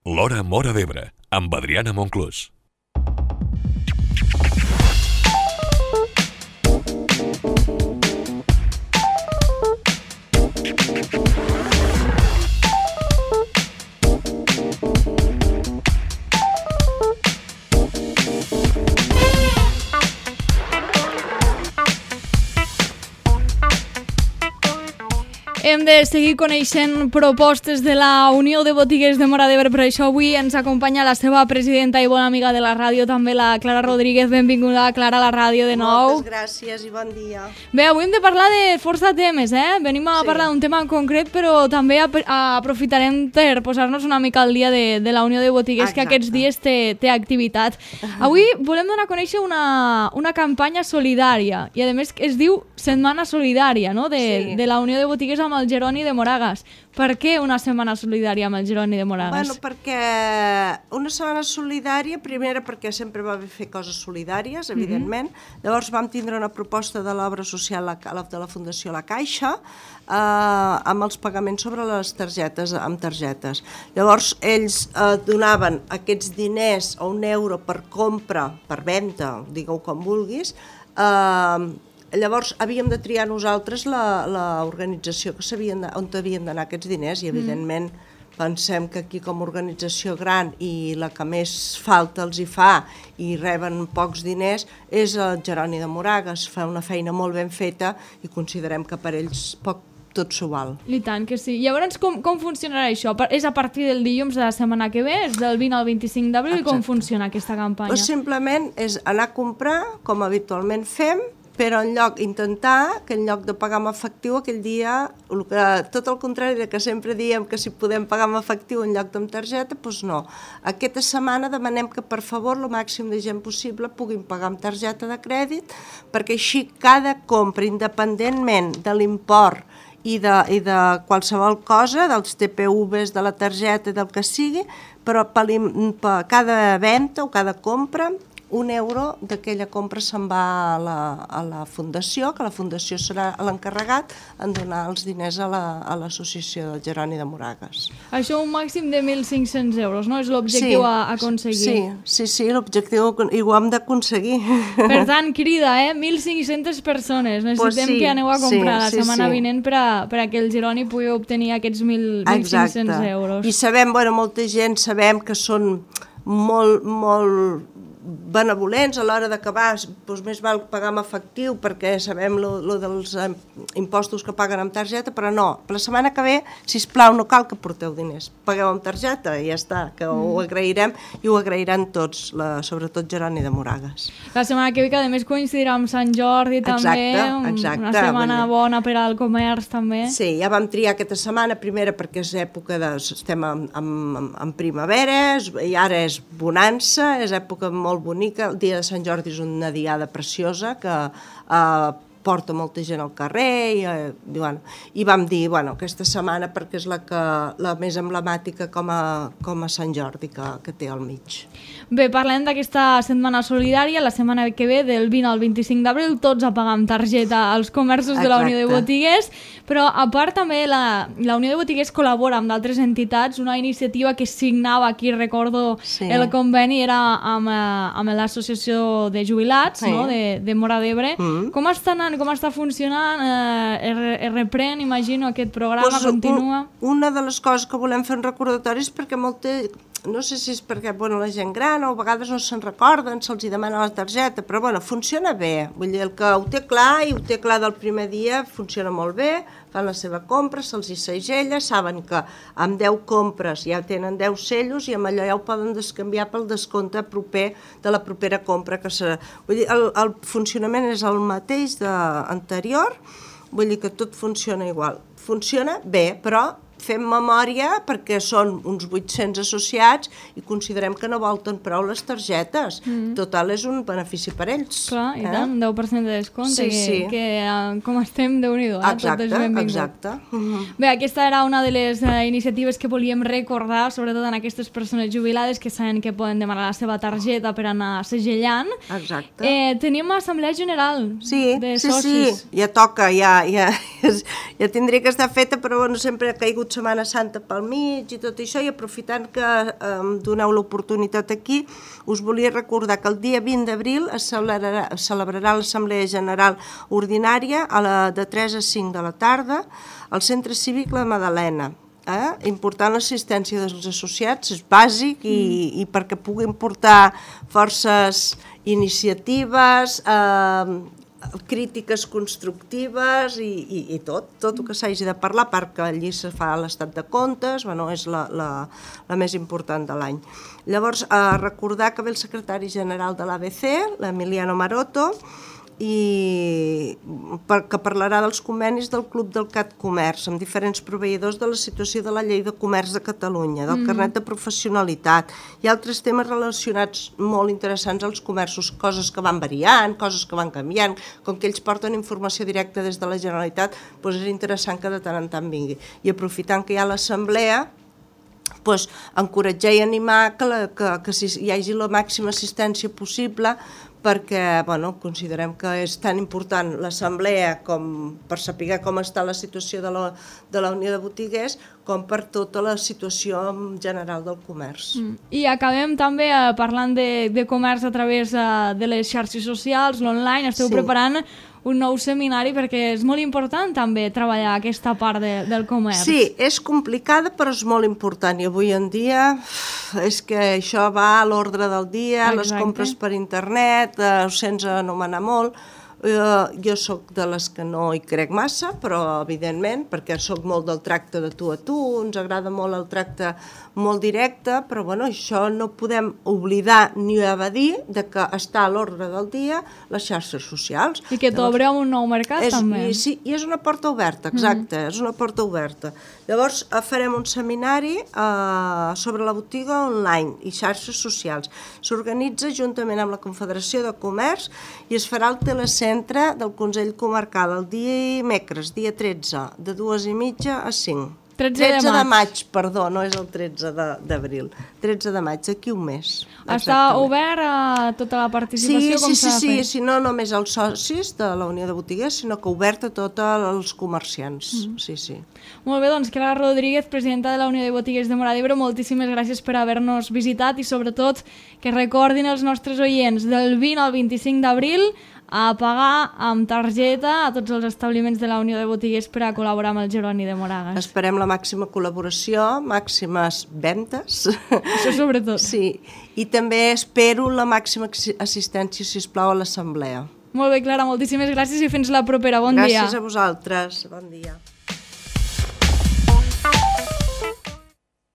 L'Hora Móra d'Ebre, amb Adriana Monclús. Hem de seguir coneixent propostes de la Unió de Botiguers de Móra d'Ebre, per això avui ens acompanya la seva presidenta i bona amiga de la ràdio, també la Clara Rodríguez. Benvinguda, Clara, a la ràdio de nou. Moltes gràcies i bon dia. Bé, avui hem de parlar de força temes, Venim a parlar d'un tema en concret, però també aprofitarem per posar-nos una mica al dia de la Unió de Botiguers, que aquests dies té activitat. Avui volem donar a conèixer una campanya solidària, i a més es diu Setmana Solidària, no?, de la Unió de Botiguers amb el Jeroni de Moragas. Per què una setmana solidària amb el Jeroni de Moragas? Bueno, perquè una setmana solidària, primera perquè sempre va fer coses solidàries, evidentment. Llavors vam tindre una proposta de l'obra social de la Fundació La Caixa amb els pagaments sobre les targetes, amb targetes. Llavors ells donaven aquests diners a €1 per compra, per venda, digueu com vulguis. Llavors havíem de triar nosaltres l'organització on havien d'anar aquests diners i evidentment pensem que aquí com a organització gran i la que més falta els hi fa i reben pocs diners és el Jeroni de Moragas. Fa una feina molt ben feta i considerem que per ells tot s'ho val. I tant que sí. Llavors com funcionarà això? És a partir del dilluns de la setmana que ve? És del 20 al 25 d'abril? Com funciona aquesta campanya? Doncs simplement és anar a comprar com habitualment fem, però intentar que en lloc de pagar amb efectiu aquell dia, tot el contrari de que sempre diem que si podem pagar amb efectiu en lloc amb targeta, doncs no. Aquesta setmana demanem que per favor el màxim de gent possible puguin pagar amb targeta de crèdit, perquè així cada compra, independentment de l'import i de qualsevol cosa, dels TPVs, de la targeta, del que sigui, però per cada venda o cada compra, €1 d'aquella compra se'n va a la Fundació, que la Fundació serà l'encarregat en donar els diners a l'associació del Jeroni de Moragas. Això un màxim de 1.500 euros, no? És l'objectiu a aconseguir. Sí, l'objectiu i ho hem d'aconseguir. Per tant, crida, 1.500 persones. Necessitem que aneu a comprar la setmana vinent per que el Jeroni pugui obtenir aquests 1.500 euros. I sabem, molta gent sabem que són molt benevolents a l'hora d'acabar, doncs més val pagar amb efectiu perquè sabem lo dels impostos que paguen amb targeta, però no, la setmana que ve, sisplau, no cal que porteu diners, pagueu amb targeta i ja està, que ho agrairem i ho agrairan tots, sobretot Jeroni de Moragas. La setmana que ve, que a més coincidirà amb Sant Jordi també, una setmana bona per al comerç també. Sí, ja vam triar aquesta setmana, primera perquè és època estem en primavera i ara és bonança, és època molt bonica. El dia de Sant Jordi és una diada preciosa que porta molta gent al carrer i vam dir, aquesta setmana perquè és la més emblemàtica com a Sant Jordi que té al mig. Bé, parlem d'aquesta setmana solidària, la setmana que ve, del 20 al 25 d'abril, tots a pagar amb targeta als comerços de la Unió de Botiguers, però a part també la Unió de Botiguers col·labora amb d'altres entitats, una iniciativa que signava, aquí recordo el conveni, era amb l'Associació de Jubilats de Móra d'Ebre. Com està anant? Com està funcionant? Es reprèn, imagino, aquest programa, continua? Una de les coses que volem fer un recordatori és perquè no sé si és perquè la gent gran o a vegades no se'n recorden, se'ls demana la targeta, però funciona bé. Vull dir, el que ho té clar i ho té clar del primer dia funciona molt bé, fan la seva compra, se'ls hi segella, saben que amb 10 compres ja tenen 10 cellos i amb allò ja ho poden descanviar pel descompte proper de la propera compra. Vull dir, el funcionament és el mateix anterior, vull dir que tot funciona igual. Funciona bé, però fem memòria perquè són uns 800 associats i considerem que no volten prou les targetes. Total, és un benefici per ells. Clar, i tant, un 10% de descompte, que com estem, Déu-n'hi-do, tot és benvingut. Exacte. Bé, aquesta era una de les iniciatives que volíem recordar, sobretot en aquestes persones jubilades que saben que poden demanar la seva targeta per anar segellant. Exacte. Tenim assemblea general de socis. Sí, ja toca, ja tindria que estar feta, però sempre ha caigut vingut Setmana Santa pel mig i tot això, i aprofitant que em doneu l'oportunitat aquí, us volia recordar que el dia 20 d'abril es celebrarà l'Assemblea General Ordinària de 3 a 5 de la tarda al Centre Cívic La Madalena. Important l'assistència dels associats, és bàsic, i perquè puguin portar forces iniciatives, crítiques constructives i tot el que s'hagi de parlar, perquè allí se fa l'estat de comptes, és la més important de l'any. Llavors, recordar que ve el secretari general de l'ABC, l'Emiliano Maroto, i que parlarà dels convenis del Club del CAT Comerç amb diferents proveïdors, de la situació de la Llei de Comerç de Catalunya, del carnet de professionalitat i altres temes relacionats molt interessants als comerços, coses que van variant, coses que van canviant. Com que ells porten informació directa des de la Generalitat, és interessant que de tant en tant vingui. I aprofitant que hi ha l'assemblea, encoratjar i animar que hi hagi la màxima assistència possible, perquè considerem que és tan important l'assemblea com per saber com està la situació de la Unió de Botiguers, com per tota la situació general del comerç. I acabem també parlant de comerç a través de les xarxes socials, l'online. Esteu preparant un nou seminari perquè és molt important també treballar aquesta part del comerç. Sí, és complicada però és molt important, i avui en dia és que això va a l'ordre del dia. Exacte. Les compres per internet, ho sents anomenar molt. Jo sóc de les que no hi crec massa, però evidentment, perquè sóc molt del tracte de tu a tu, ens agrada molt el tracte molt directe, però això no podem oblidar ni evadir que està a l'ordre del dia les xarxes socials. I que t'obreu un nou mercat també. Sí, i és una porta oberta, exacte, és una porta oberta. Llavors farem un seminari sobre la botiga online i xarxes socials. S'organitza juntament amb la Confederació de Comerç i es farà al telecentre del Consell Comarcal el dimecres, dia 13, de 2:30 a 5. 13 de maig, perdó, no és el 13 d'abril. 13 de maig, d'aquí un mes. Està obert a tota la participació? Sí, no només als socis de la Unió de Botiguers, sinó que obert a tots els comerciants. Sí. Molt bé, doncs Clara Rodríguez, presidenta de la Unió de Botiguers de Móra d'Ebre, moltíssimes gràcies per haver-nos visitat i sobretot que recordin els nostres oients del 20 al 25 d'abril a pagar amb targeta a tots els establiments de la Unió de Botiguers per a col·laborar amb el Jeroni de Moragas. Esperem la màxima col·laboració, màximes ventes. Això sobretot. Sí, i també espero la màxima assistència, sisplau, a l'assemblea. Molt bé, Clara, moltíssimes gràcies i fins la propera. Bon dia. Gràcies a vosaltres. Bon dia.